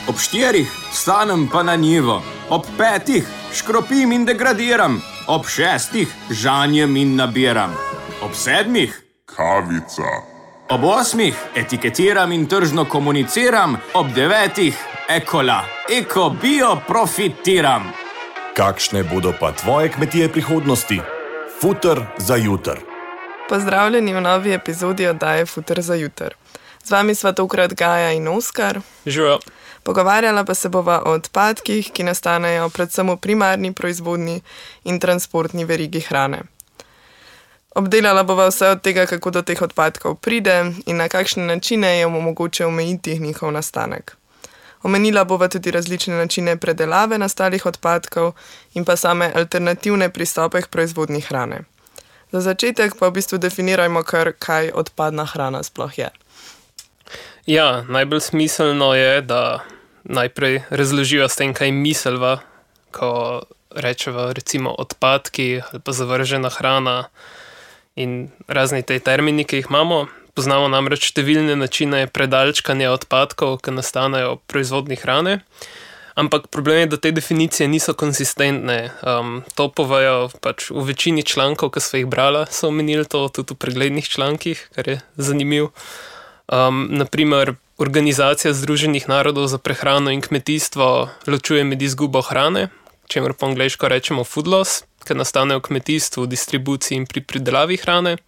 Ob 4 vstanem pa na njivo, ob 5 škropim in degradiram, ob 6 žanjem in nabiram, ob 7 kavica, ob 8 etiketiram in tržno komuniciram, ob 9 ekola, bio profitiram. Kakšne bodo pa tvoje kmetije prihodnosti? Futer za jutr. Pozdravljeni v novi epizodi oddaje Futer za jutr. Z vami sva tokrat Gaja in Oskar. Živijo. Pogovarjala pa se bova o odpadkih, ki nastanejo predvsem v primarni proizvodnji in transportni verigi hrane. Obdelala bova vse od tega, kako do teh odpadkov pride in na kakšne načine je mogoče omejiti njihov nastanek. Omenila bova tudi različne načine predelave nastalih odpadkov in pa same alternativne pristope k proizvodnji hrane. Za začetek pa v bistvu definirajmo kar, kaj odpadna hrana sploh je. Ja, najbolj smiselno je, da najprej razloživa s tem, kaj miselva, ko rečeva recimo odpadki ali pa zavržena hrana in razni te termini, ki jih imamo. Poznamo namreč številne načine predalčkanja odpadkov, ki nastanejo v proizvodni hrane, ampak problem je, da te definicije niso konsistentne. To povejo pač v večini člankov, ki so jih brala, so omenili to tudi v preglednih člankih, kar je zanimiv. Naprimer, Organizacija Združenih narodov za prehrano in kmetijstvo ločuje med izgubo hrane, čemer po angleško rečemo food loss, ki nastane v kmetijstvu, distribuciji in pri pridelavi hrane,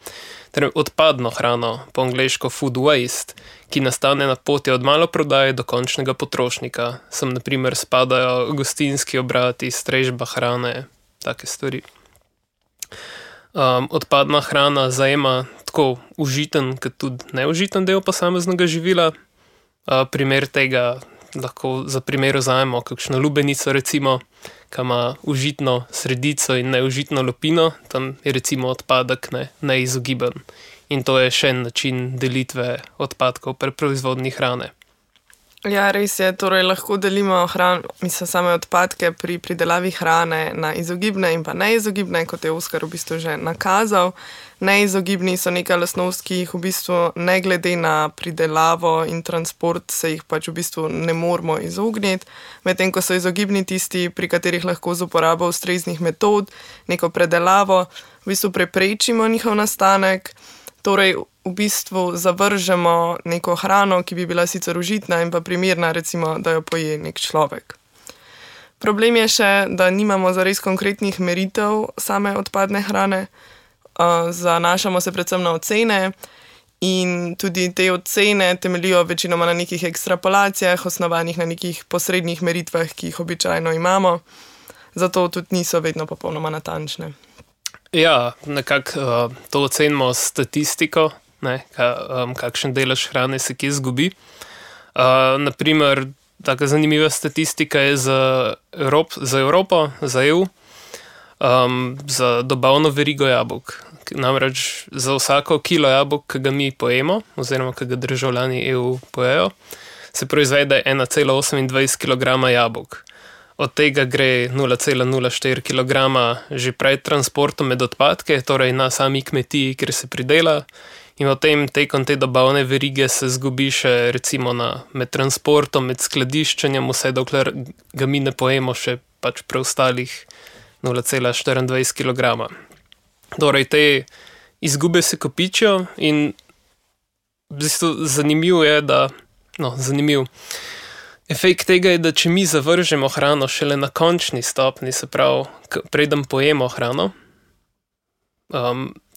ter odpadno hrano, po angleško food waste, ki nastane na poti od maloprodaje do končnega potrošnika. Sem naprimer spadajo gostinski obrati, strežba hrane, take stvari. Odpadna hrana zajema tako užiten, kot tudi neužiten del posameznega živila. Primer tega lahko za primer vzamemo kakšno lubenico recimo, ki ima užitno sredico in neužitno lupino, tam je recimo odpadek neizogiben. In to je še en način delitve odpadkov pri proizvodnji hrane. Ja, res je, torej lahko delimo same odpadke pri pridelavi hrane na izogibne in pa neizogibne, kot je Oskar v bistvu že nakazal. Neizogibni so neka lastnost, ki jih v bistvu ne glede na pridelavo in transport se jih pač v bistvu ne moramo izogniti, medtem ko so izogibni tisti, pri katerih lahko z uporabo ustreznih metod, neko predelavo, v bistvu preprečimo njihov nastanek, torej v bistvu zavržemo neko hrano, ki bi bila sicer užitna in pa primerna, recimo, da jo poje nek človek. Problem je še, da nimamo zares konkretnih meritev same odpadne hrane, zanašamo se predvsem na ocene in tudi te ocene temeljijo večinoma na nekih ekstrapolacijah, osnovanih na nekih posrednjih meritvah, ki jih običajno imamo, zato tudi niso vedno popolnoma natančne. Ja, nekako to ocenimo s statistiko, kakšen delež hrane se kje izgubi. Naprimer, taka zanimiva statistika je za Evropo, za EU, za dobavno verigo jabolk. Namreč za vsako kilo jabolk, ki ga mi pojemo, oziroma ki ga državljani EU pojejo, se proizvede 1,28 kg jabolk. Od tega gre 0,04 kg že pred transportom med odpadke, torej na sami kmetiji, kjer se pridela, in potem tekom te dobavne verige se zgubi še recimo med transportom, med skladiščenjem, vse dokler ga mi ne pojemo še pač preostalih 0,24 kg. Torej te izgube se kopičijo in v bistvu zanimiv je, efekt tega je, da če mi zavržemo hrano šele na končni stopni, se pravi, preden pojemo hrano,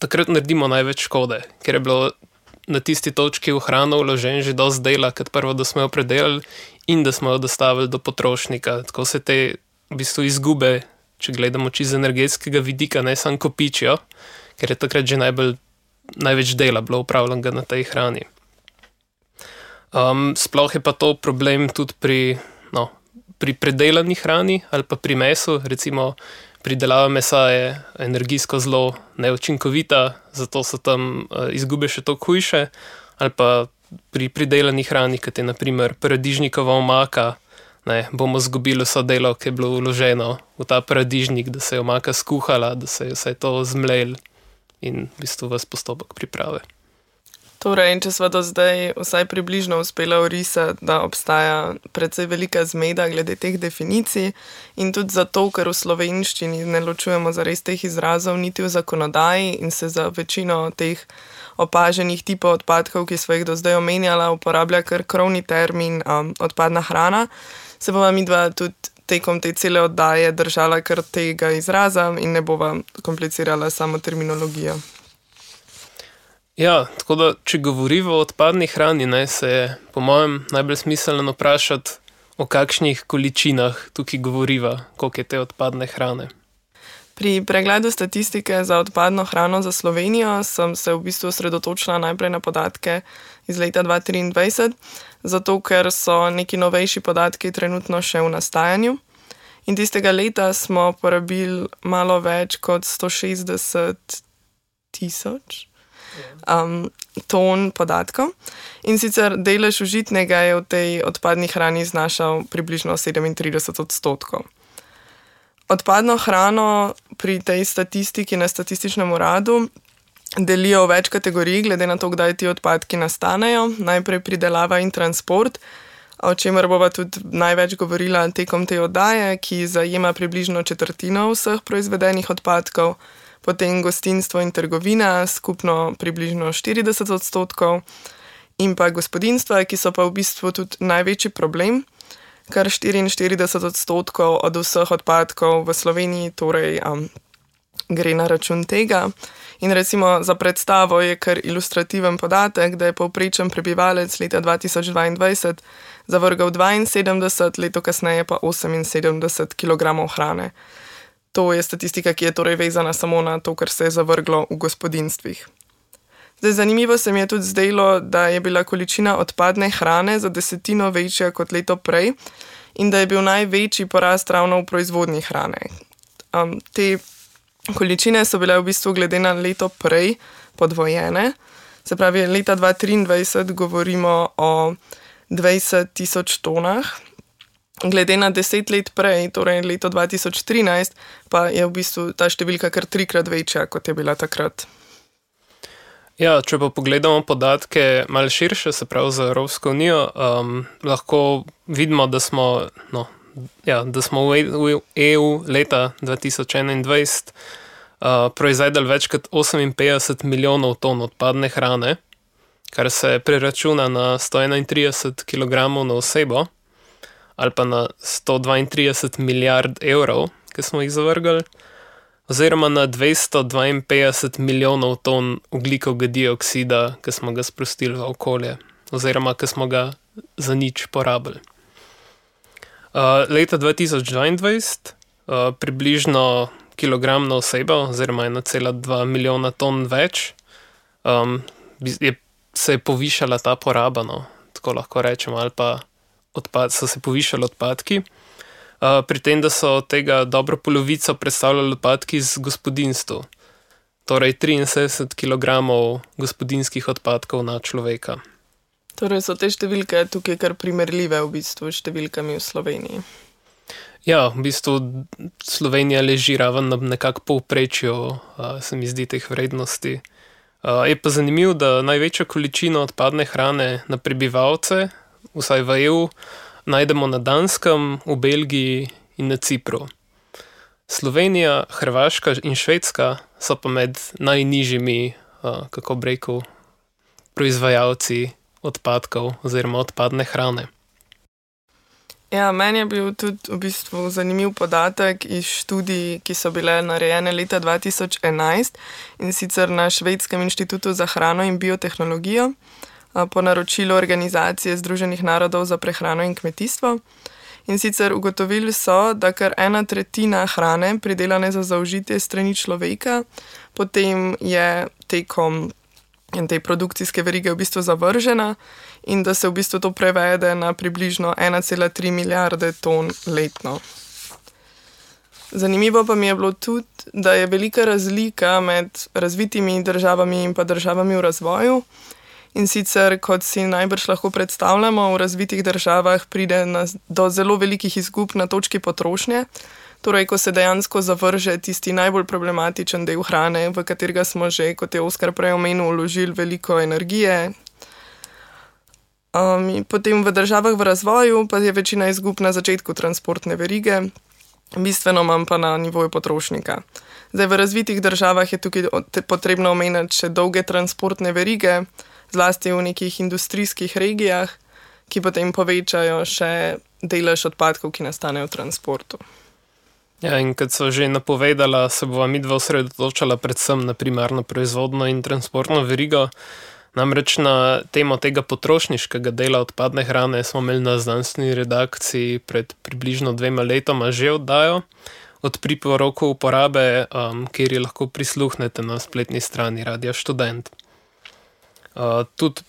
takrat naredimo največ škode, ker je bilo na tisti točki v hrano vložen že dosti dela, kot prvo, da smo jo predelali in da smo jo dostavili do potrošnika. Tako se te v bistvu izgube, če gledamo čiz energetskega vidika, ne samo kopičijo, ker je takrat že največ dela bilo upravljenega na tej hrani. Sploh je pa to problem tudi pri predelani hrani ali pa pri mesu, recimo pridelava mesa je energijsko zelo neučinkovita, zato so tam izgube še toliko hujše, ali pa pri pridelani hrani, kot je naprimer paradižnikova omaka, bomo izgubili vso delo, ki je bilo vloženo v ta paradižnik, da se je omaka skuhala, da se je vse to zmlel in v bistvu ves postopek priprave. Torej, če sva do zdaj vsaj približno uspela orisati, da obstaja precej velika zmeda glede teh definicij in tudi zato, ker v slovenščini ne ločujemo zares teh izrazov niti v zakonodaji in se za večino teh opaženih tipov odpadkov, ki sva jih do zdaj omenjala, uporablja kar krovni termin odpadna hrana, se bova midva tudi tekom te cele oddaje držala kar tega izraza in ne bova komplicirala samo terminologijo. Ja, tako da, če govoriva o odpadni hrani, se je po mojem najbolj smiselno vprašati, o kakšnih količinah tukaj govoriva, koliko je te odpadne hrane. Pri pregledu statistike za odpadno hrano za Slovenijo sem se v bistvu osredotočila najprej na podatke iz leta 2023, zato ker so neki novejši podatki trenutno še v nastajanju. In tistega leta smo porabili malo več kot 160 000 ton podatkov. In sicer delež užitnega je v tej odpadni hrani znašal približno 37%. Odpadno hrano pri tej statistiki na statističnem uradu delijo v več kategorij, glede na to, kdaj ti odpadki nastanejo. Najprej pridelava in transport, o čemer bova tudi največ govorila tekom te oddaje, ki zajema približno četrtino vseh proizvedenih odpadkov. Potem gostinstvo in trgovina, skupno približno 40%, in pa gospodinjstva, ki so pa v bistvu tudi največji problem, kar 44% od vseh odpadkov v Sloveniji torej gre na račun tega. In recimo za predstavo je kar ilustrativen podatek, da je povprečen prebivalec leta 2022 zavrgal 72, leto kasneje pa 78 kg hrane. To je statistika, ki je torej vezana samo na to, kar se je zavrglo v gospodinjstvih. Zdaj, zanimivo se mi je tudi zdelo, da je bila količina odpadne hrane za 10% večja kot leto prej in da je bil največji porast ravno v proizvodnji hrane. Te količine so bile v bistvu glede na leto prej podvojene. Se pravi, leta 2023 govorimo o 20 000 tonah. Glede na 10 let prej, torej leto 2013, pa je v bistvu ta številka kar 3-krat večja, kot je bila takrat. Ja, če pa pogledamo podatke malo širše, se pravi za Evropsko unijo, lahko vidimo, da smo v EU leta 2021 proizvedli več kot 58 milijonov ton odpadne hrane, kar se preračuna na 131 kg na osebo, ali pa na 132 milijard evrov, ki smo jih zavrgli, oziroma na 252 milijonov ton ogljikovega dioksida, ki smo ga sprostili v okolje, oziroma ki smo ga za nič porabili. Leta 2022 približno kilogram na osebo, oziroma 1,2 milijona ton več, se je povišala ta poraba, tako lahko rečemo, ali pa so se povišali odpadki, pri tem, da so tega dobro polovico predstavljali odpadki iz gospodinjstv, torej 73 kg gospodinjskih odpadkov na človeka. Torej so te številke tukaj kar primerljive v bistvu s številkami v Sloveniji. Ja, v bistvu Slovenija leži raven na nekako povprečju, se mi zdi, teh vrednosti. Je pa zanimivo, da največjo količino odpadne hrane na prebivalce, vsaj v EU, najdemo na Danskem, v Belgiji in na Cipru. Slovenija, Hrvaška in Švedska so pa med najnižjimi, kako bi rekel, proizvajalci odpadkov oziroma odpadne hrane. Ja, meni je bil tudi v bistvu zanimiv podatek iz študij, ki so bile narejene leta 2011, in sicer na Švedskem inštitutu za hrano in biotehnologijo, po naročilu Organizacije Združenih narodov za prehrano in kmetijstvo. In sicer ugotovili so, da kar 1/3 hrane, pridelane za zaužitje strani človeka, potem je tekom te produkcijske verige v bistvu zavržena in da se v bistvu to prevede na približno 1,3 milijarde ton letno. Zanimivo pa mi je bilo tudi, da je velika razlika med razvitimi državami in pa državami v razvoju. In sicer, kot si najbrž lahko predstavljamo, v razvitih državah pride do zelo velikih izgub na točki potrošnje. Torej, ko se dejansko zavrže tisti najbolj problematičen del hrane, v katerega smo že, kot je Oskar prej omenil, vložili veliko energije. Potem v državah v razvoju pa je večina izgub na začetku transportne verige, bistveno manj pa na nivoju potrošnika. Zdaj, v razvitih državah je tukaj potrebno omeniti še dolge transportne verige, zlasti v nekih industrijskih regijah, ki potem povečajo še delež odpadkov, ki nastanejo v transportu. Ja, in kot so že napovedala, se bova midva osredotočala predvsem na primarno proizvodno in transportno verigo. Namreč na temo tega potrošniškega dela odpadne hrane smo imeli na znanstveni redakciji pred približno 2 letoma že oddajo od priporokov uporabe, kjer ji lahko prisluhnete na spletni strani Radia Študent. Tudi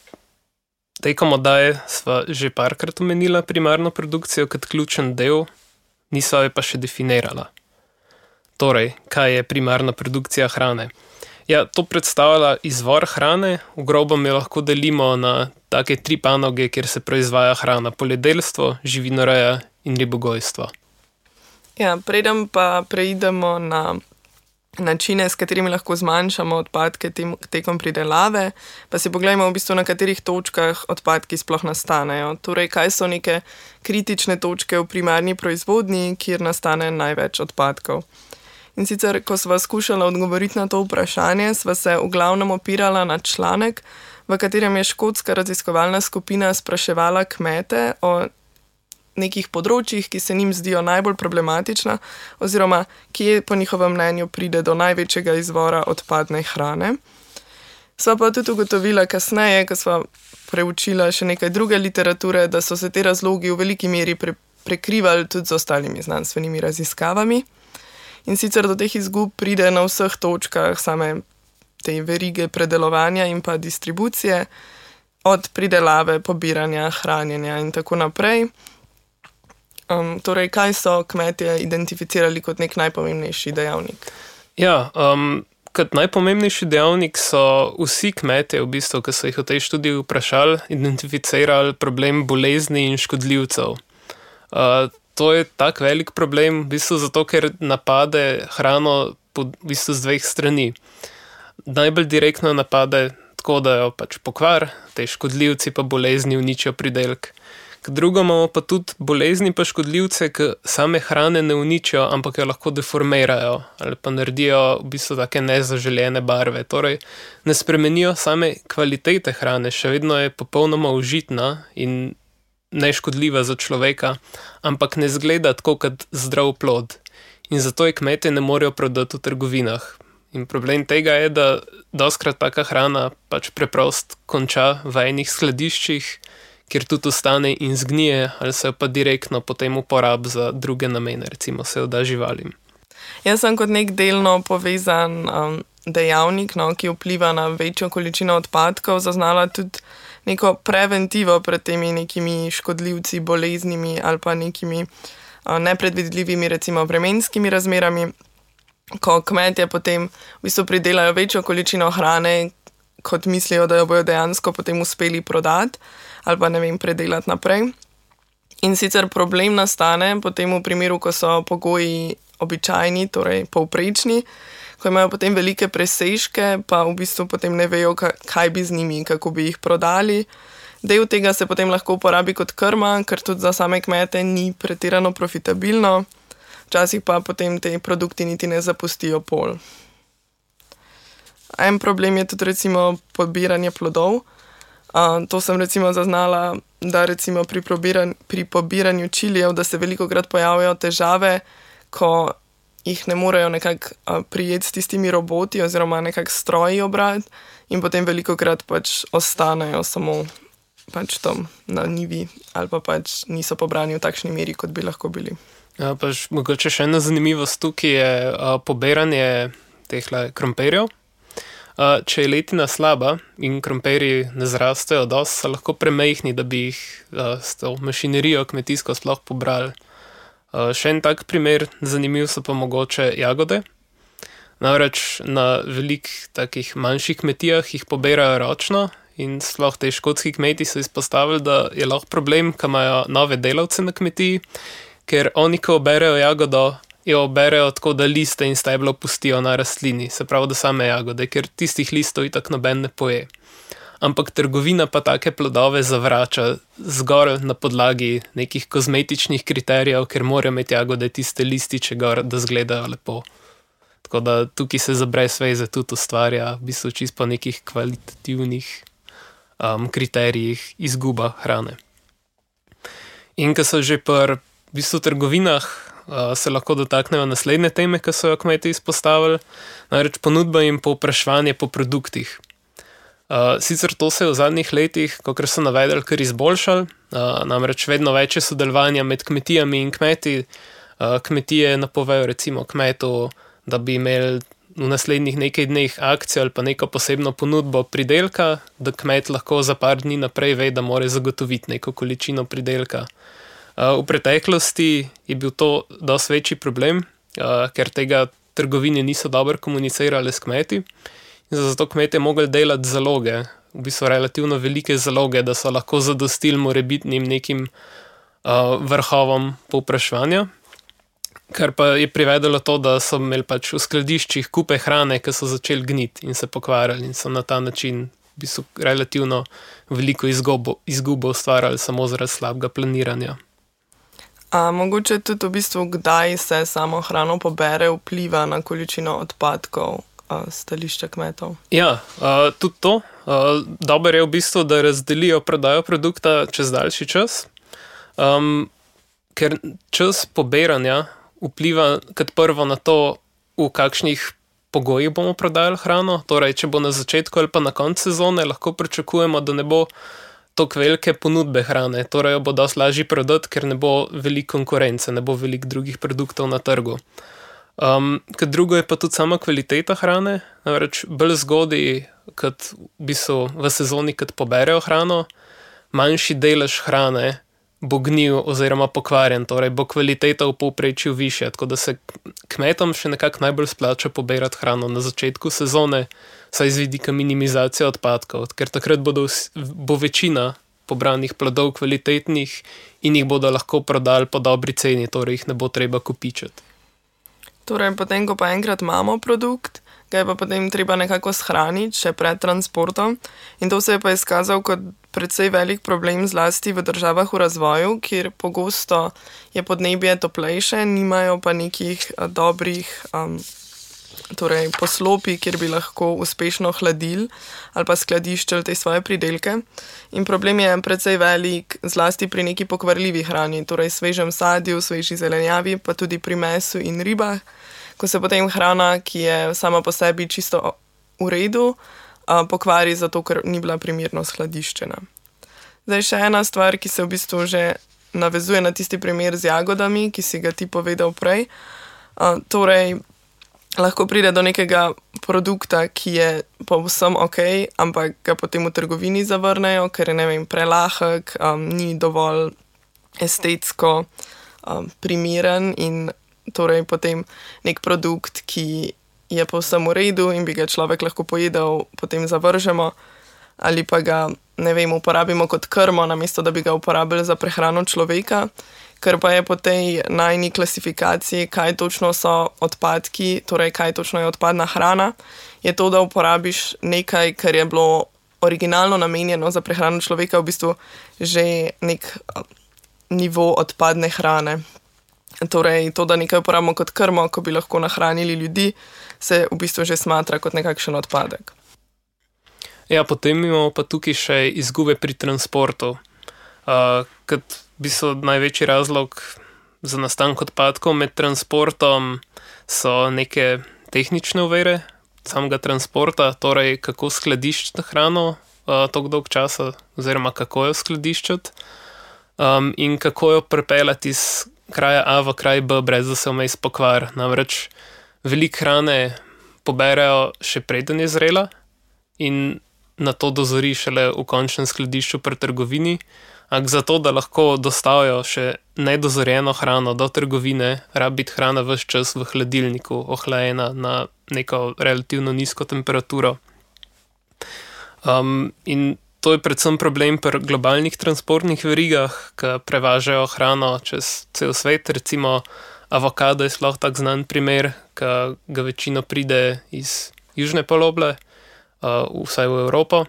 tekom oddaje sva že parkrat omenila primarno produkcijo kot ključen del, nisva jo pa še definirala. Torej, kaj je primarna produkcija hrane? Ja, to predstavlja izvor hrane, v grobem jo lahko delimo na take 3 panoge, kjer se proizvaja hrana: poljedelstvo, živinoreja in ribogojstvo. Ja, preden pa preidemo na načine, s katerimi lahko zmanjšamo odpadke tekom pridelave, pa si pogledajmo v bistvu, na katerih točkah odpadki sploh nastanejo. Torej, kaj so neke kritične točke v primarni proizvodnji, kjer nastane največ odpadkov. In sicer, ko sva skušala odgovoriti na to vprašanje, sva se v glavnem opirala na članek, v katerem je škotska raziskovalna skupina spraševala kmete o nekih področjih, ki se njim zdijo najbolj problematična, oziroma kje po njihovem mnenju pride do največjega izvora odpadne hrane. Sva pa tudi ugotovila kasneje, ko sva preučila še nekaj druge literature, da so se te razlogi v veliki meri prekrivali tudi z ostalimi znanstvenimi raziskavami. In sicer do teh izgub pride na vseh točkah same te verige predelovanja in pa distribucije, od pridelave, pobiranja, hranjenja in tako naprej. Torej, kaj so kmetje identificirali kot nek najpomembnejši dejavnik? Ja, kot najpomembnejši dejavnik so vsi kmetje, v bistvu, ki so jih v tej študiji vprašali, identificirali problem bolezni in škodljivcev. To je tak velik problem, v bistvu zato, ker napade hrano v bistvu z 2 strani. Najbolj direktno napade tako, da jo pač pokvar, te škodljivci pa bolezni uničijo pridelek. K drugo imamo pa tudi bolezni pa škodljivce, ki same hrane ne uničijo, ampak jo lahko deformirajo ali pa naredijo v bistvu take nezaželjene barve. Torej, ne spremenijo same kvalitete hrane, še vedno je popolnoma užitna in neškodljiva za človeka, ampak ne zgleda tako kot zdrav plod. In zato je kmetje ne morejo prodati v trgovinah. In problem tega je, da dostikrat taka hrana pač preprosto konča v enih skladiščih, kjer tudi ostane in zgnije, ali se jo pa direktno potem uporabi za druge namene, recimo se jo da živalim. Jaz sem kot nek delno povezan dejavnik, ki vpliva na večjo količino odpadkov, zaznala tudi neko preventivo pred temi nekimi škodljivci, boleznimi ali pa nekimi nepredvidljivimi, recimo vremenskimi razmerami, ko kmetje potem v bistvu pridelajo večjo količino hrane, kot mislijo, da jo bojo dejansko potem uspeli prodati ali pa predelati naprej. In sicer problem nastane potem v primeru, ko so pogoji običajni, torej povprečni, ko imajo potem velike presežke, pa v bistvu potem ne vejo, kaj bi z njimi, kako bi jih prodali. Del tega se potem lahko uporabi kot krma, ker tudi za same kmete ni pretirano profitabilno, včasih pa potem te produkti niti ne zapustijo pol. En problem je tudi recimo pobiranje plodov. To sem recimo zaznala, da recimo pri pobiranju čilijev, da se velikokrat pojavijo težave, ko jih ne morejo nekako prijeti s tistimi roboti oziroma nekako stroji obrati in potem velikokrat pač ostanejo samo pač tam na njivi ali pa pač niso pobrani v takšni meri, kot bi lahko bili. Ja, pač mogoče še ena zanimivost tukaj je pobiranje tehle krompirjev. Če je letina slaba in krompirji ne zrastejo dosti, so lahko premajhni, da bi jih s to mašinerijo kmetijsko sploh pobrali. Še en tak primer, zanimiv so pa mogoče jagode. Namreč na velikih takih manjših kmetijah jih pobirajo ročno in sploh te škotski kmeti so izpostavili, da je lahko problem, ko imajo nove delavce na kmetiji, ker oni, ko oberejo jagodo, jo berejo tako, da liste in steblo pustijo na rastlini, se pravi, da same jagode, ker tistih listov itak noben ne poje. Ampak trgovina pa take plodove zavrača zgolj na podlagi nekih kozmetičnih kriterijev, ker morajo imeti jagode tiste lističe gor, da izgledajo lepo. Tako da tukaj se za brez veze tudi ustvarja v bistvu čisto po nekih kvalitativnih kriterijih izguba hrane. In ko so že pri v bistvu trgovinah, se lahko dotaknejo naslednje teme, ki so jo kmeti izpostavili, namreč ponudba in povpraševanje po produktih. Sicer to se je v zadnjih letih, kakor so navedli, kar izboljšali, namreč vedno več je sodelovanja med kmetijami in kmeti. Kmetije napovejo recimo kmetu, da bi imeli v naslednjih nekaj dneh akcijo ali pa neko posebno ponudbo pridelka, da kmet lahko za par dni naprej ve, da mora zagotoviti neko količino pridelka. V preteklosti je bil to dosti večji problem, ker tega trgovine niso dobro komunicirale s kmeti. Zato kmetje mogli delati zaloge, v bistvu relativno velike zaloge, da so lahko zadostili morebitnim nekim vrhovom povpraševanja, kar pa je privedelo to, da so imeli pač v skladiščih kupe hrane, ki so začeli gniti in se pokvarjali in so na ta način v bistvu relativno veliko izgubo ustvarjali samo zaradi slabega planiranja. Mogoče tudi v bistvu, kdaj se samo hrano pobere, vpliva na količino odpadkov stališča kmetov? Ja, tudi to. Dobro je v bistvu, da razdelijo prodajo produkta čez daljši čas, ker čas pobiranja vpliva kot prvo na to, v kakšnih pogojih bomo prodajali hrano. Torej, če bo na začetku ali pa na koncu sezone, lahko pričakujemo, da ne bo toliko velike ponudbe hrane. Torej, jo bo dosti lažje prodati, ker ne bo veliko konkurence, ne bo veliko drugih produktov na trgu. Kot drugo je pa tudi sama kvaliteta hrane. Namreč bolj zgodaj, kot v bistvu v sezoni, kot poberejo hrano, manjši delež hrane bo gnil oziroma pokvarjen, torej bo kvaliteta v povprečju višja, tako da se kmetom še nekako najbolj splača pobirati hrano na začetku sezone, saj z vidika minimizacije odpadkov, ker takrat bo večina pobranih plodov kvalitetnih in jih bodo lahko prodali po dobri ceni, torej jih ne bo treba kopičiti. Torej, potem, ko pa enkrat imamo produkt, ga je pa potem treba nekako shraniti še pred transportom, in to se je pa izkazal kot precej velik problem zlasti v državah v razvoju, kjer pogosto je podnebje toplejše, nimajo pa nekih dobrih poslopij, kjer bi lahko uspešno hladili ali pa skladiščili te svoje pridelke. In problem je precej velik zlasti pri neki pokvarljivi hrani, torej svežem sadju, sveži zelenjavi, pa tudi pri mesu in ribah, ko se potem hrana, ki je sama po sebi čisto v redu, pokvari zato, ker ni bila primerno skladiščena. Zdaj še ena stvar, ki se v bistvu že navezuje na tisti primer z jagodami, ki si ga ti povedal prej. Torej, lahko pride do nekega produkta, ki je povsem ok, ampak ga potem v trgovini zavrnejo, ker je, ne vem, prelahek, ni dovolj estetsko primeren in torej potem nek produkt, ki je povsem v redu in bi ga človek lahko pojedel, potem zavržemo ali pa ga, ne vem, uporabimo kot krmo, namesto da bi ga uporabili za prehrano človeka. Ker pa je po tej najni klasifikaciji, kaj točno so odpadki, torej kaj točno je odpadna hrana, je to, da uporabiš nekaj, kar je bilo originalno namenjeno za prehrano človeka, v bistvu že nek nivo odpadne hrane. Torej, to, da nekaj uporabimo kot krmo, ko bi lahko nahranili ljudi, se v bistvu že smatra kot nekakšen odpadek. Ja, potem imamo pa tukaj še izgube pri transportu. Kot v bistvu največji razlog za nastanek odpadkov med transportom so neke tehnične ovire samega transporta, torej kako skladiščiti hrano toliko dolg časa, oziroma kako jo skladiščiti in kako jo pripeljati iz kraja A v kraj B, brez da se vmes pokvari. Namreč veliko hrane poberejo še preden je zrela in na to dozori šele v končnem skladišču pri trgovini, ampak zato, da lahko dostavijo še nedozorjeno hrano do trgovine, rabi biti hrana ves čas v hladilniku, ohlajena na neko relativno nizko temperaturo. In to je predvsem problem pri globalnih transportnih verigah, ki prevažajo hrano čez cel svet. Recimo Avokado je sploh tak znan primer, ki ga večino pride iz južne poloble, vsaj v Evropo,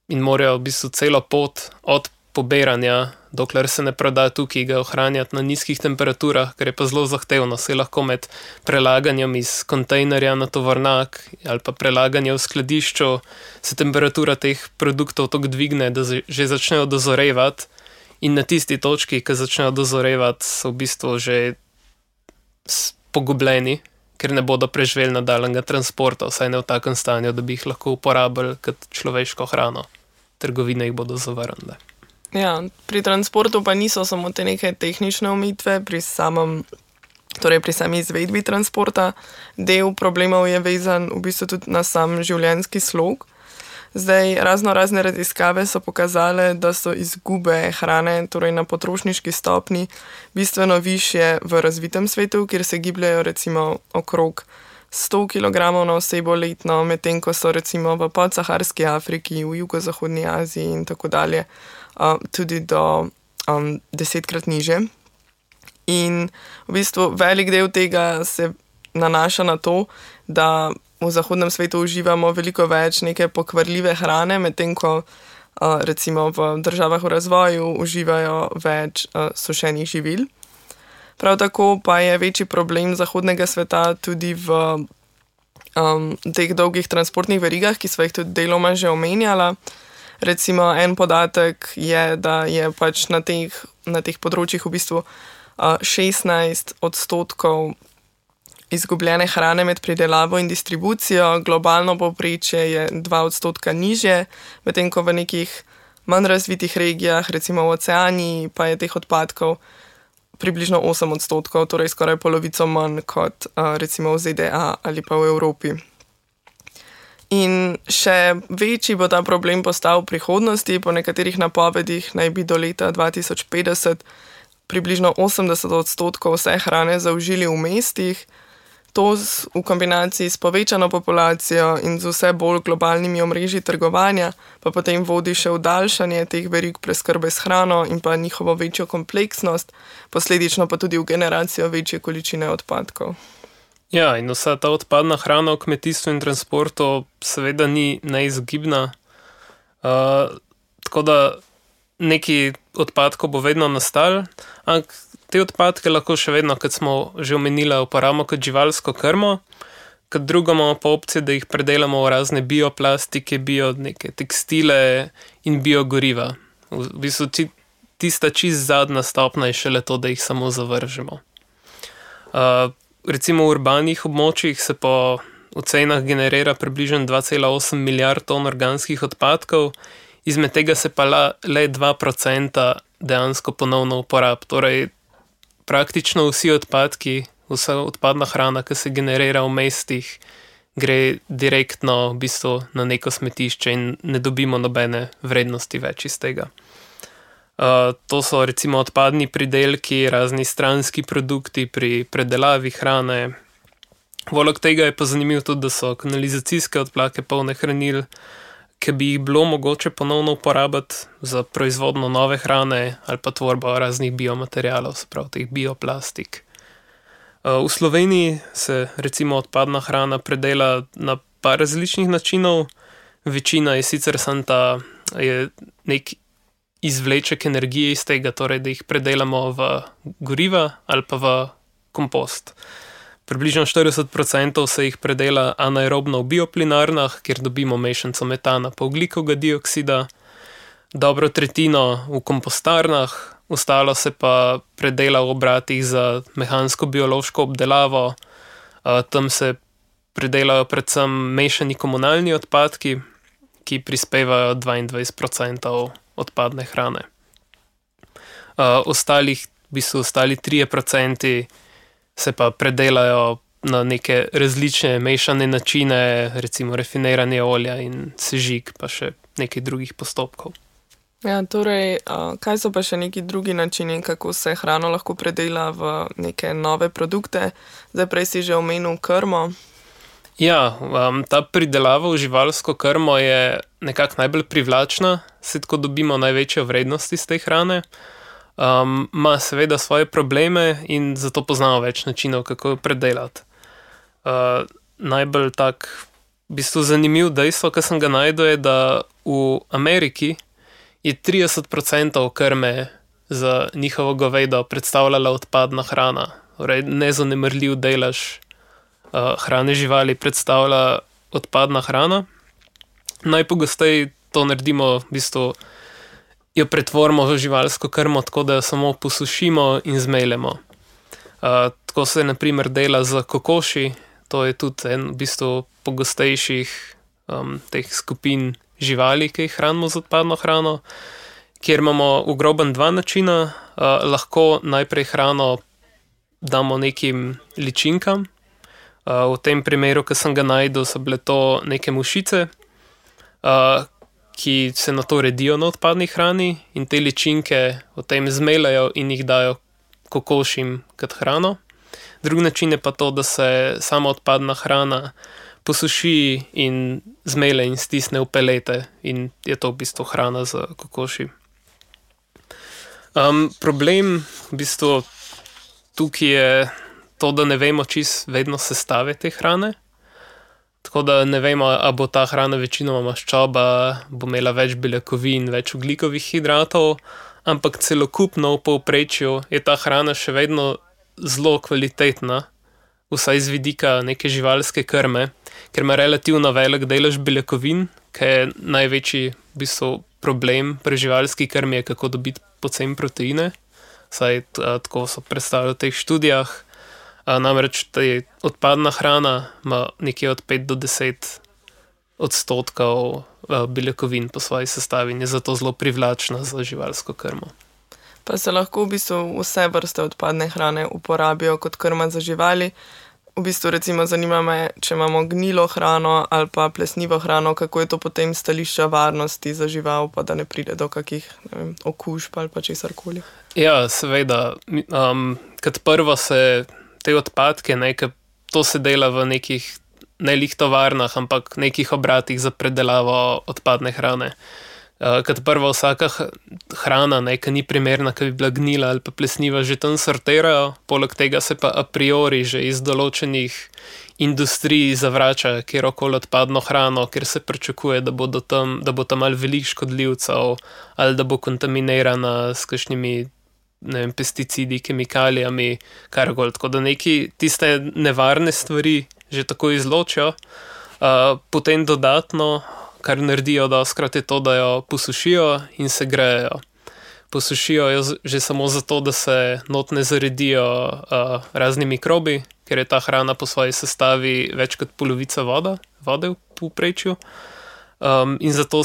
in morajo v bistvu celo pot od pobiranja, dokler se ne proda tukaj, ga ohranjati na nizkih temperaturah, ker je pa zelo zahtevno. Se lahko med prelaganjem iz kontejnerja na tovornjak ali pa prelaganjem v skladišču se temperatura teh produktov tako dvigne, da že začnejo dozorevati, in na tisti točki, ki začnejo dozorevati, so v bistvu že pogubljeni, ker ne bodo preživeli nadaljnjega transporta, vsaj ne v takem stanju, da bi jih lahko uporabili kot človeško hrano. Trgovine jih bodo zavrnile. Ja, pri transportu pa niso samo te neke tehnične omejitve, pri sami izvedbi transporta. Del problemov je vezan v bistvu tudi na sam življenjski slog. Zdaj, razne raziskave so pokazale, da so izgube hrane, torej na potrošniški stopni, bistveno višje v razvitem svetu, kjer se gibljajo recimo okrog 100 kg na osebo letno, medtem ko so recimo v podsaharski Afriki, v jugozahodni Aziji in tako dalje tudi do 10-krat niže. In v bistvu velik del tega se nanaša na to, da v zahodnem svetu uživamo veliko več neke pokvarljive hrane, medtem ko recimo v državah v razvoju uživajo več sušenih živil. Prav tako pa je večji problem zahodnega sveta tudi v teh dolgih transportnih verigah, ki sva jih tudi deloma že omenjala. Recimo en podatek je, da je pač na teh področjih v bistvu 16% izgubljene hrane med pridelavo in distribucijo, globalno povprečje je 2% nižje, medtem ko v nekih manj razvitih regijah, recimo v Oceaniji, pa je teh odpadkov približno 8%, torej skoraj polovico manj kot recimo v ZDA ali pa v Evropi. In še večji bo ta problem postal v prihodnosti. Po nekaterih napovedih naj bi do leta 2050 približno 80% vse hrane zaužili v mestih. To v kombinaciji s povečano populacijo in z vse bolj globalnimi omrežji trgovanja pa potem vodi še v daljšanje teh verig preskrbe s hrano in pa njihovo večjo kompleksnost, posledično pa tudi v generacijo večje količine odpadkov. Ja, in vsa ta odpadna hrana v kmetijstvu in transportu seveda ni neizogibna. Tako da neki odpadkov bo vedno nastal, ampak te odpadke lahko še vedno, kot smo že omenili, uporabimo kot živalsko krmo, kot drugo imamo pa opcije, da jih predelamo v razne bioplastike, neke tekstile in biogoriva. V bistvu tista čist zadnja stopnja je šele to, da jih samo zavržemo. Recimo v urbanih območjih se po ocenah generira približno 2,8 milijard ton organskih odpadkov, izmed tega se pa le 2% dejansko ponovno uporab. Torej, praktično vsi odpadki, vsa odpadna hrana, ki se generira v mestih, gre direktno v bistvu na neko smetišče in ne dobimo nobene vrednosti več iz tega. To so recimo odpadni pridelki, razni stranski produkti pri predelavi hrane. Poleg tega je pa zanimivo tudi, da so kanalizacijske odplake polne hranil, ki bi jih bilo mogoče ponovno uporabiti za proizvodno nove hrane ali pa tvorbo raznih biomaterialov, se pravi teh bioplastik. V Sloveniji se recimo odpadna hrana predela na par različnih načinov. Večina je sicer je nek izvleček energije iz tega, torej da jih predelamo v goriva ali pa v kompost. Približno 40% se jih predela anaerobno v bioplinarnah, kjer dobimo mešanico metana pa ogljikovega dioksida, dobro tretjino v kompostarnah, ostalo se pa predela v obratih za mehansko-biološko obdelavo. Tam se predelajo predvsem mešani komunalni odpadki, ki prispevajo 22% odpadne hrane. Ostali 3% se pa predelajo na neke različne mešane načine, recimo rafiniranje olja in sežig, pa še nekaj drugih postopkov. Ja, torej, kaj so pa še neki drugi načini, kako se hrano lahko predela v neke nove produkte? Zdaj prej si že omenil krmo. Ja, ta pridelava v živalsko krmo je nekako najbolj privlačna, se tako dobimo največjo vrednost iz te hrane. ima seveda svoje probleme in zato poznamo več načinov, kako jo predelati. Najbolj tak v bistvu zanimiv dejstvo, ki sem ga najdel, je, da v Ameriki je 30% krme za njihovo govedo predstavljala odpadna hrana. Torej, nezanemarljiv delež hrane živali predstavlja odpadna hrana. Najpogosteje to naredimo, v bistvu jo pretvorimo v živalsko krmo, tako da jo samo posušimo in zmeljemo. Tako se na primer dela za kokoši, to je tudi en v bistvu pogostejših teh skupin živali, ki jih hranimo z odpadno hrano, kjer imamo v grobem dva načina. Lahko najprej hrano damo nekim ličinkam. V tem primeru, ki sem ga najdel, so bile to neke mušice, ki se na to redijo na odpadni hrani in te ličinke potem zmeljajo in jih dajo kokošim kot hrano. Drugi način je pa to, da se sama odpadna hrana posuši in zmelje in stisne v pelete in je to v bistvu hrana za kokoši. Problem v bistvu tukaj je to, da ne vemo čisto vedno sestave te hrane. Tako da ne vemo, a bo ta hrana večinoma maščoba, bo imela več beljakovin, več ogljikovih hidratov, ampak celokupno v povprečju je ta hrana še vedno zelo kvalitetna, vsaj z vidika neke živalske krme, ker ima relativno velik delež beljakovin, ki je največji v bistvu problem pri živalski krmi, je kako dobiti poceni proteine, saj tako so predstavili v teh študijah. Namreč odpadna hrana ima nekje od 5 do 10 odstotkov beljakovin po svoji sestavi in je zato zelo privlačna za živalsko krmo. Pa se lahko v bistvu vse vrste odpadne hrane uporabijo kot krma za živali. V bistvu recimo zanima me, če imamo gnilo hrano ali pa plesnivo hrano, kako je to potem stališča varnosti za žival, pa da ne pride do kakih okužb ali pa česarkoli. Ja, seveda. Kot prvo se te odpadke, to se dela v nekih ne lih tovarnah, ampak nekih obratih za predelavo odpadne hrane. Kot prvo vsaka hrana, ki ni primerna, ki bi bila gnila ali pa plesniva, že tam sortirajo, poleg tega se pa a priori že iz določenih industrij zavrača kjerokoli odpadno hrano, ker se pričakuje, da bo tam ali veliko škodljivcev ali da bo kontaminirana s kakšnimi pesticidi, kemikalijami, karkoli. Tako da neki tiste nevarne stvari že tako izločijo. Potem dodatno, kar naredijo dostikrat, je to, da jo posušijo in se grejejo. Posušijo jo že samo zato, da se not ne zaredijo razni mikrobi, ker je ta hrana po svoji sestavi več kot polovica vode v povprečju. In zato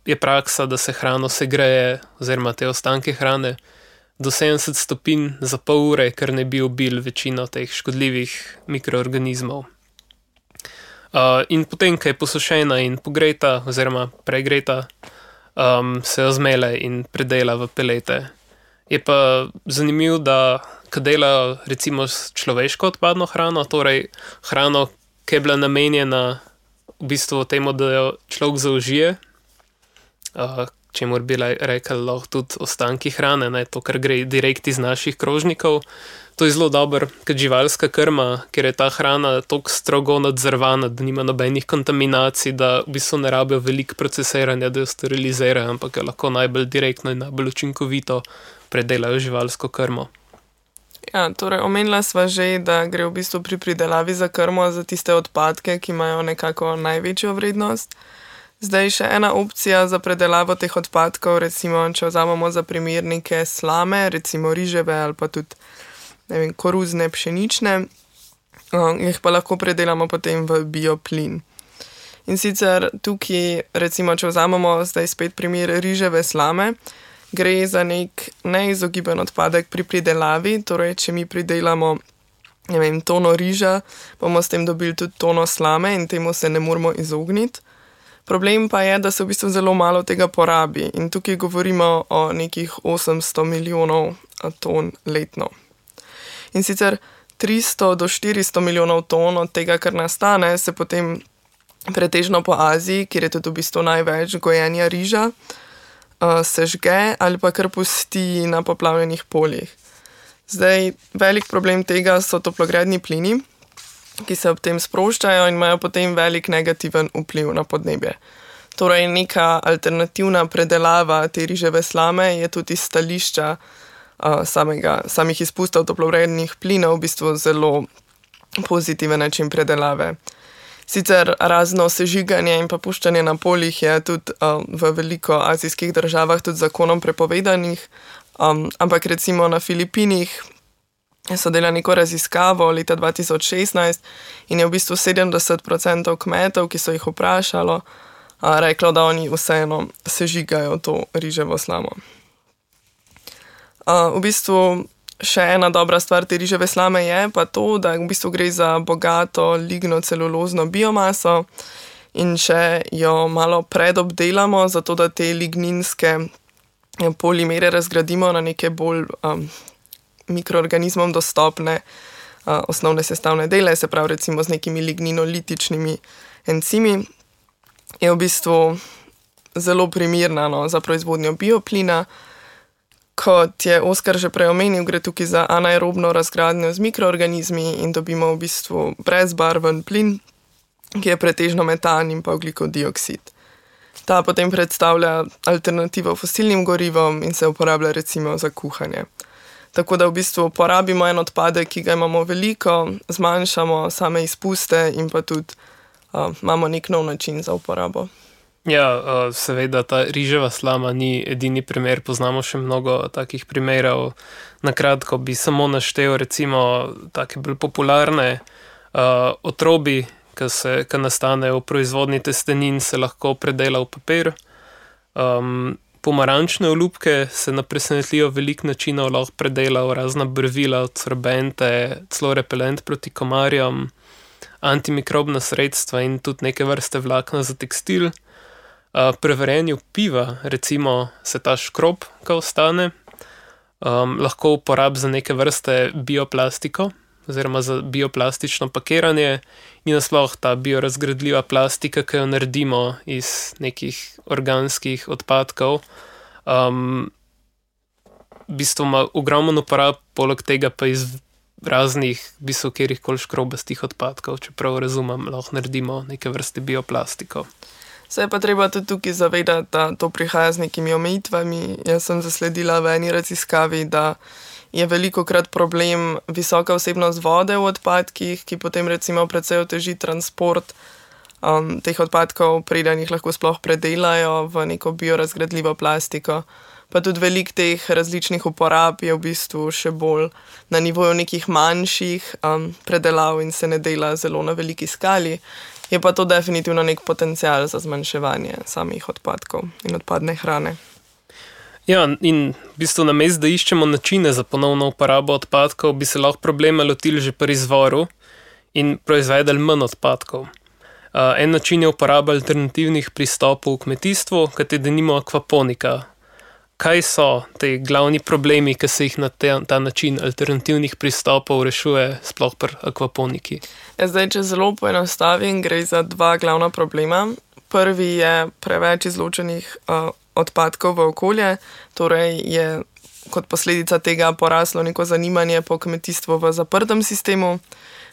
je praksa, da se hrano segreje, oziroma te ostanke hrane, do 70 stopinj za pol ure, ker ne bi ubili večino teh škodljivih mikroorganizmov. In potem, ko je posušena in pogreta oziroma pregreta, se jo zmelje in predela v pelete. Je pa zanimivo, da ko delajo recimo s človeško odpadno hrano, torej hrano, ki je bila namenjena v bistvu temu, da jo človek zaužije, čemur bi rekel lahko tudi ostanki hrane, to, kar gre direkt iz naših krožnikov. To je zelo dobro kot živalska krma, ker je ta hrana toliko strogo nadzorvana, da nima nobenih kontaminacij, da v bistvu ne rabijo veliko procesiranja, da jo sterilizirajo, ampak jo lahko najbolj direktno in najbolj učinkovito predelajo živalsko krmo. Ja, torej omenila sva že, da gre v bistvu pri pridelavi za krmo za tiste odpadke, ki imajo nekako največjo vrednost. Zdaj še ena opcija za predelavo teh odpadkov, recimo, če vzamemo za primer neke slame, recimo riževe ali pa tudi koruzne, pšenične, jih pa lahko predelamo potem v bioplin. In sicer tukaj, recimo, če vzamemo zdaj spet primer riževe slame, gre za nek neizogiben odpadek pri pridelavi, torej če mi pridelamo tono riža, bomo s tem dobili tudi tono slame in temu se ne moramo izogniti. Problem pa je, da se v bistvu zelo malo tega porabi in tukaj govorimo o nekih 800 milijonov ton letno. In sicer 300 do 400 milijonov ton od tega, kar nastane, se potem pretežno po Aziji, kjer je tudi v bistvu največ gojenja riža, sežge ali pa kar pusti na poplavljenih poljih. Zdaj, velik problem tega so toplogredni plini, ki se ob tem sproščajo in imajo potem velik negativen vpliv na podnebje. Torej, neka alternativna predelava te riževe slame je tudi iz stališča samih izpustov toplogrednih plinov v bistvu zelo pozitiven način predelave. Sicer razno sežiganje in pa puščanje na poljih je tudi v veliko azijskih državah tudi zakonom prepovedanih, ampak recimo na Filipinih so delali neko raziskavo leta 2016 in je v bistvu 70% kmetov, ki so jih vprašalo, reklo, da oni vseeno sežigajo to riževo slamo. V bistvu še ena dobra stvar te riževe slame je pa to, da v bistvu gre za bogato lignocelulozno biomaso in če jo malo predobdelamo, zato da te ligninske polimere razgradimo na neke bolj mikroorganizmom dostopne osnovne sestavne dele, se pravi recimo z nekimi ligninolitičnimi encimi, je v bistvu zelo primerna za proizvodnjo bioplina. Kot je Oskar že prej omenil, gre tukaj za anaerobno razgradnjo z mikroorganizmi in dobimo v bistvu brezbarven plin, ki je pretežno metan in pa ogljikov dioksid. Ta potem predstavlja alternativo fosilnim gorivom in se uporablja recimo za kuhanje. Tako da v bistvu porabimo en odpadek, ki ga imamo veliko, zmanjšamo same izpuste in pa tudi imamo nek nov način za uporabo. Ja, seveda ta riževa slama ni edini primer, poznamo še mnogo takih primerov. Na kratko bi samo naštel recimo take bolj popularne otrobi, ki nastanejo v proizvodnji testenin, se lahko predela v papir. Pomarančne olupke se na presenetljivo veliko načinov lahko predela v razna brvila, sorbente, celo repelent proti komarjem, antimikrobna sredstva in tudi neke vrste vlakna za tekstil. Pri varenju piva, recimo, se ta škrob, ki ostane, lahko uporab za neke vrste bioplastiko oziroma za bioplastično pakiranje in nasploh ta biorazgradljiva plastika, ki jo naredimo iz nekih organskih odpadkov. V bistvu ima ogromen uporab, poleg tega pa iz raznih kjerihkoli škrobastih odpadkov, čeprav razumem, lahko naredimo neke vrste bioplastiko. Se je pa treba tudi tukaj zavedati, da to prihaja z nekimi omejitvami. Jaz sem zasledila v eni raziskavi, da je velikokrat problem visoka vsebnost vode v odpadkih, ki potem recimo precej oteži transport teh odpadkov, preden jih lahko sploh predelajo v neko biorazgradljivo plastiko. Pa tudi veliko teh različnih uporab je v bistvu še bolj na nivoju nekih manjših predelav in se ne dela zelo na veliki skali. Je pa to definitivno nek potencial za zmanjševanje samih odpadkov in odpadne hrane. Ja, in v bistvu namesto, da iščemo načine za ponovno uporabo odpadkov, bi se lahko problema lotili že pri izvoru in proizvedeli manj odpadkov. En način je uporaba alternativnih pristopov v kmetijstvu, kot je denimo akvaponika. Kaj so te glavni problemi, ki se jih na ta način alternativnih pristopov rešuje sploh pri akvaponiki? Zdaj, če zelo poenostavim, gre za dva glavna problema. Prvi je preveč izločenih odpadkov v okolje, torej je kot posledica tega poraslo neko zanimanje po kmetijstvu v zaprtem sistemu.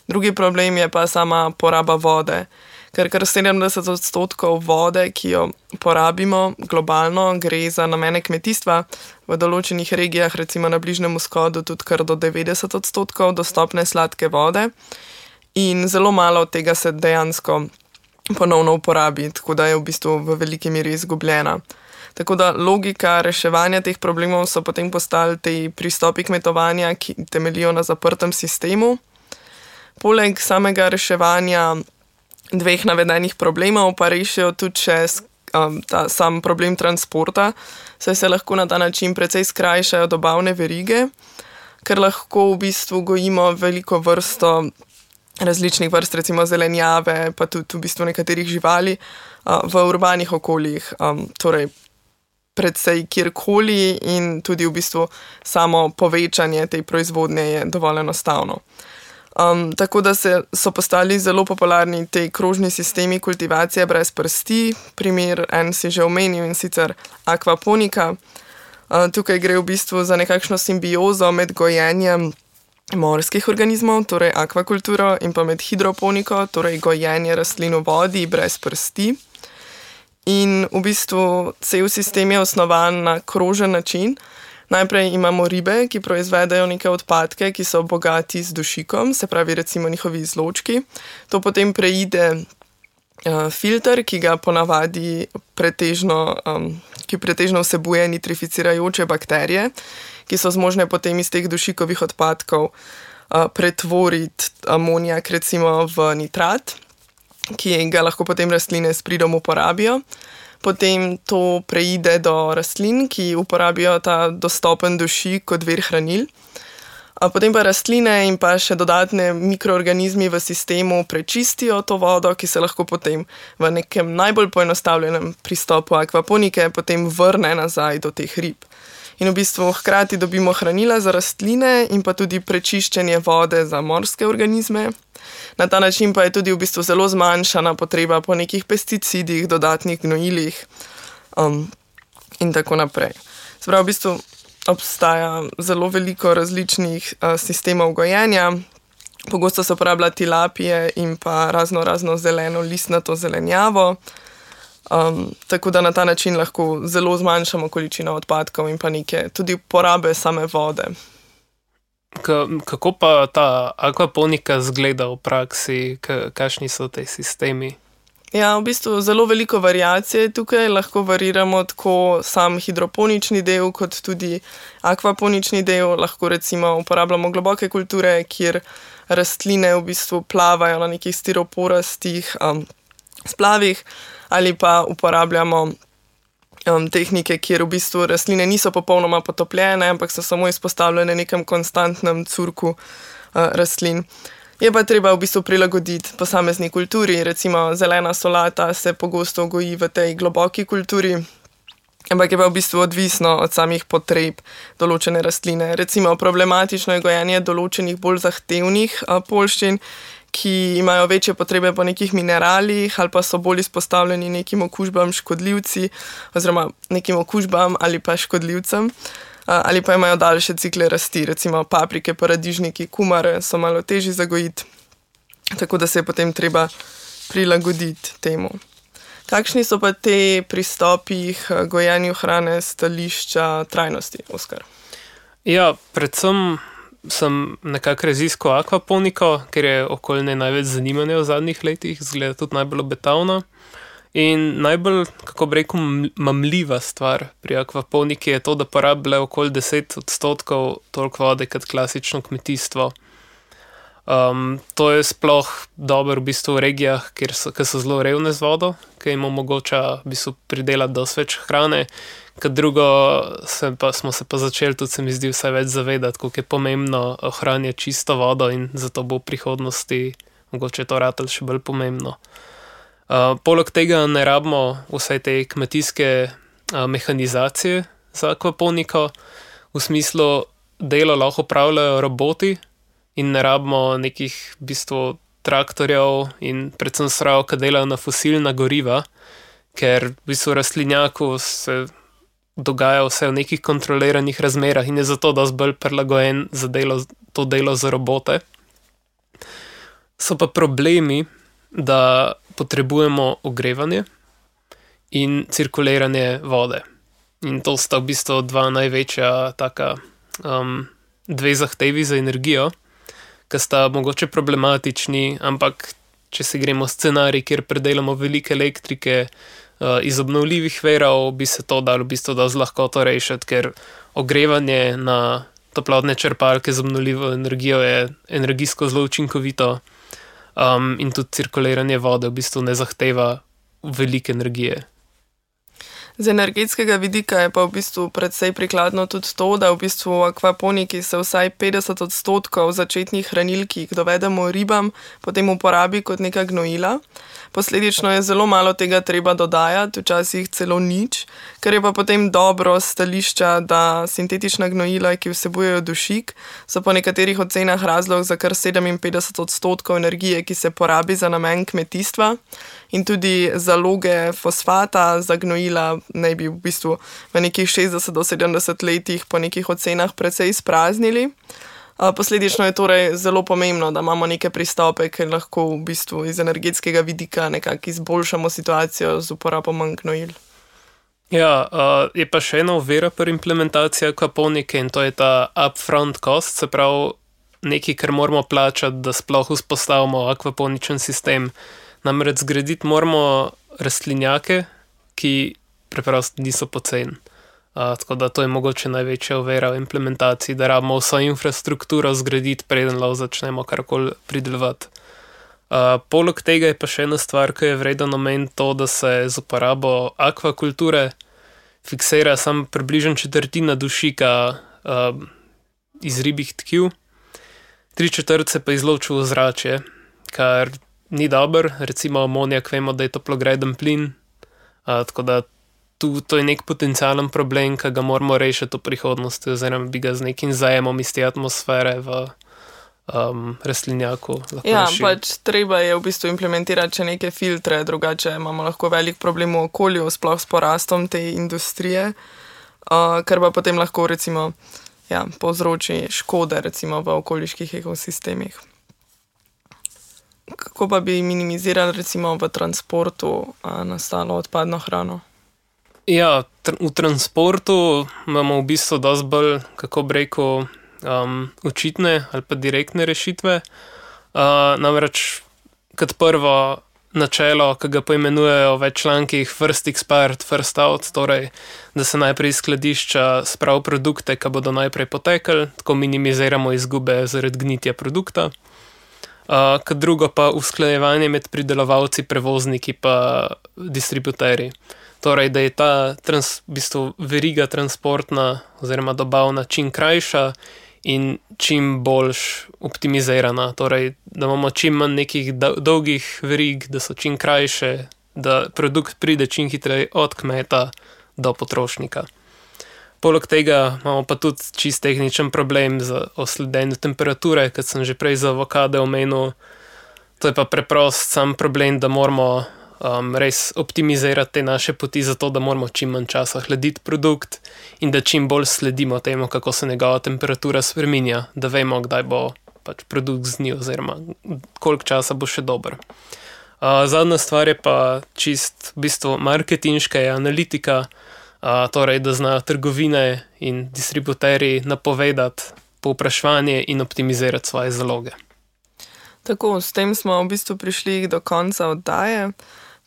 Drugi problem je pa sama poraba vode. Ker 70% vode, ki jo porabimo globalno, gre za namene kmetijstva. V določenih regijah, recimo na Bližnjem vzhodu, tudi kar do 90% dostopne sladke vode. In zelo malo od tega se dejansko ponovno uporabi, tako da je v bistvu v veliki meri izgubljena. Tako da logika reševanja teh problemov so potem postali te pristopi kmetovanja, ki temeljijo na zaprtem sistemu. Poleg samega reševanja dveh navedenih problemov pa rešijo tudi še sam problem transporta, saj se lahko na ta način precej skrajšajo dobavne verige, ker lahko v bistvu gojimo veliko vrsto različnih vrst, recimo zelenjave, pa tudi v bistvu nekaterih živali v urbanih okoljih, torej predvsej kjerkoli in tudi v bistvu samo povečanje te proizvodnje je dovolj enostavno. Tako da so postali zelo popularni te krožni sistemi kultivacije brez prsti. Primer en si že omenil, in sicer akvaponika. Tukaj gre v bistvu za nekakšno simbiozo med gojenjem morskih organizmov, torej akvakulturo, in pa med hidroponiko, torej gojenje rastlin v vodi brez prsti. In v bistvu cel sistem je osnovan na krožen način. Najprej imamo ribe, ki proizvedajo neke odpadke, ki so bogati z dušikom, se pravi recimo njihovi izločki. To potem preide filter, ki ga ponavadi pretežno vsebuje nitrificirajoče bakterije, ki so zmožne potem iz teh dušikovih odpadkov pretvoriti amonijak recimo v nitrat, ki ga lahko potem rastline s pridom uporabijo. Potem to preide do rastlin, ki uporabijo ta dostopen dušik kot vir hranil. Potem pa rastline in pa še dodatne mikroorganizmi v sistemu prečistijo to vodo, ki se lahko potem v nekem najbolj poenostavljenem pristopu akvaponike potem vrne nazaj do teh rib. In v bistvu hkrati dobimo hranila za rastline in pa tudi prečiščenje vode za morske organizme. Na ta način pa je tudi v bistvu zelo zmanjšana potreba po nekih pesticidih, dodatnih gnojilih in tako naprej. Sprav, v bistvu obstaja zelo veliko različnih sistemov gojenja. Pogosto se uporablja tilapije in pa razno zeleno listnato zelenjavo. Tako da na ta način lahko zelo zmanjšamo količino odpadkov in pa neke tudi porabe same vode. Kako pa ta akvaponika zgleda v praksi? Kakšni so te sistemi? Ja, v bistvu zelo veliko variacije tukaj. Lahko variramo tako sam hidroponični del, kot tudi akvaponični del. Lahko recimo uporabljamo globoke kulture, kjer rastline v bistvu plavajo na nekih stiroporastih splavih, ali pa uporabljamo tehnike, kjer v bistvu rastline niso popolnoma potopljene, ampak so samo izpostavljene nekem konstantnem curku rastlin. Je pa treba v bistvu prilagoditi posamezni kulturi. Recimo zelena solata se pogosto goji v tej globoki kulturi, ampak je pa v bistvu odvisno od samih potreb določene rastline. Recimo problematično je gojenje določenih bolj zahtevnih poljščin, ki imajo večje potrebe po nekih mineralih ali pa so bolj izpostavljeni nekim okužbam škodljivci oziroma nekim okužbam ali pa škodljivcem, ali pa imajo daljše cikle rasti, recimo paprike, paradižniki, kumare so malo težji za gojiti, tako da se je potem treba prilagoditi temu. Kakšni so pa te pristopi k gojenju hrane s stališča trajnosti, Oskar? Ja, predvsem sem nekako raziskal akvaponiko, ker je okoljne največ zanimanja v zadnjih letih, zgleda tudi najbolj obetavna. In najbolj, kako bi rekel, mamljiva stvar pri akvaponiki je to, da porablja okoli 10% toliko vode kot klasično kmetijstvo. To je sploh dobro v bistvu v regijah, ki so zelo revne z vodo, ki jim omogoča v bistvu pridelati dosti več hrane. Kot drugo smo se pa začeli tudi, se mi zdi, vse več zavedati, koliko je pomembno ohranjati čisto vodo in zato bo v prihodnosti mogoče to ratalo še bolj pomembno. Poleg tega ne rabimo vse te kmetijske mehanizacije za akvaponiko, v smislu delo lahko opravljajo roboti in ne rabimo nekih v bistvu traktorjev in predvsem strojev, ki delajo na fosilna goriva, ker v bistvu rastlinjaku se dogaja vse v nekih kontroliranih razmerah in je zato dosti bolj prilagojen za to delo za robote. So pa problemi, da potrebujemo ogrevanje in cirkuliranje vode. In to sta v bistvu dva največja dve zahtevi za energijo, ki sta mogoče problematični, ampak če si gremo scenarij, kjer predelamo veliko elektrike iz obnovljivih virov, bi se to dalo v bistvu dosti lahko rešiti, ker ogrevanje na toplotne črpalke z obnovljivo energijo je energijsko zelo učinkovito. In tudi cirkuliranje vode v bistvu ne zahteva velike energije. Z energetskega vidika je pa v bistvu predvsej prikladno tudi to, da v bistvu v akvaponiki se vsaj 50% začetnih hranil, ki jih dovedemo ribam, potem uporabi kot neka gnojila. Posledično je zelo malo tega treba dodajati, včasih celo nič, ker je pa potem dobro stališča, da sintetična gnojila, ki vsebujejo dušik, so po nekaterih ocenah razlog za kar 57% energije, ki se porabi za namen kmetijstva, in tudi zaloge fosfata za gnojila naj bi v bistvu v nekih 60 do 70 letih po nekih ocenah precej izpraznili. Posledično je torej zelo pomembno, da imamo neke pristope, ker lahko v bistvu iz energetskega vidika nekako izboljšamo situacijo z uporabo manj gnojil. Ja, je pa še ena ovira pri implementaciji akvaponike in to je ta upfront cost, se pravi nekaj, kar moramo plačati, da sploh vzpostavimo akvaponičen sistem. Namreč zgraditi moramo rastlinjake, ki preprosto niso poceni. Tako da to je mogoče največja ovira v implementaciji, da rabimo vso infrastrukturo zgraditi, preden lahko začnemo karkoli pridelovati. Poleg tega je pa še ena stvar, ki je vredno omeniti to, da se z uporabo akvakulture fiksira samo približno četrtina dušika iz ribjih tkiv, 3/4 se pa izloči v ozračje, kar ni dobro, recimo amonijak vemo, da je toplogreden plin, tako da to je nek potencialen problem, ki ga moramo rešiti v prihodnosti, oziroma bi ga z nekim zajemom iz te atmosfere v rastlinjaku lahko rešili. Pač treba je v bistvu implementirati še neke filtre, drugače imamo lahko velik problem v okolju, sploh s porastom te industrije, kar pa potem lahko recimo povzroči škode recimo v okoliških ekosistemih. Kako pa bi minimizirali recimo v transportu nastalo odpadno hrano? Ja, v transportu imamo v bistvu dosti bolj, kako bi rekel, očitne ali pa direktne rešitve. Namreč kot prvo načelo, ki ga poimenujejo v člankih first expired, first out, torej da se najprej iz skladišča spravi produkte, ki bodo najprej potekli, tako minimiziramo izgube zaradi gnitja produkta. Kot drugo pa usklajevanje med pridelovalci, prevozniki pa distributerji. Torej, da je ta veriga transportna oziroma dobavna čim krajša in čim bolj optimizirana. Torej, da imamo čim manj nekih dolgih verig, da so čim krajše, da produkt pride čim hitreje od kmeta do potrošnika. Poleg tega imamo pa tudi čist tehničen problem o sledenju temperature, kot sem že prej za avokade omenil. To je pa preprost sam problem, da moramo res optimizirati te naše poti zato, da moramo čim manj časa hladiti produkt in da čim bolj sledimo temu, kako se njegova temperatura spreminja, da vemo, kdaj bo pač produkt znil oziroma koliko časa bo še dober. Zadnja stvar je pa čist v bistvu marketinška je analitika, torej da znajo trgovine in distributerji napovedati povpraševanje in optimizirati svoje zaloge. Tako, s tem smo v bistvu prišli do konca oddaje.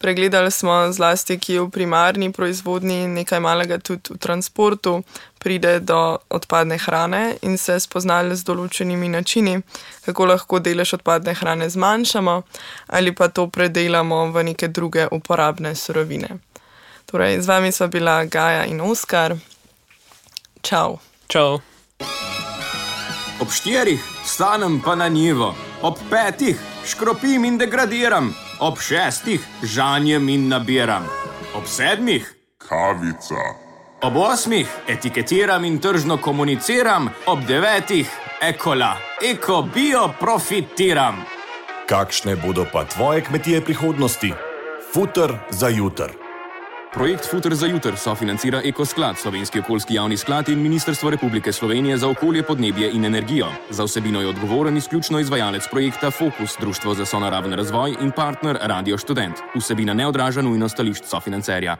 Pregledali smo zlasti, ki v primarni proizvodnji, nekaj malega tudi v transportu, pride do odpadne hrane in se spoznali z določenimi načini, kako lahko delež odpadne hrane zmanjšamo ali pa to predelamo v neke druge uporabne surovine. Torej, z vami sva bila Gaja in Oskar. Čau. Čau. Ob 4 vstanem pa na njivo, ob 5 škropim in degradiram, ob 6 žanjem in nabiram, ob 7 kavica, ob 8 etiketiram in tržno komuniciram, ob 9 ekola, eko bio profitiram. Kakšne bodo pa tvoje kmetije prihodnosti? Futer za jutr. Projekt Futer za jutr sofinancira Ekosklad, Slovenski okoljski javni sklad in Ministrstvo Republike Slovenije za okolje, podnebje in energijo. Za vsebino je odgovoren izključno izvajalec projekta Fokus, Društvo za sonaraven razvoj in partner Radio Študent. Vsebina ne odraža nujno stališč sofinancerja.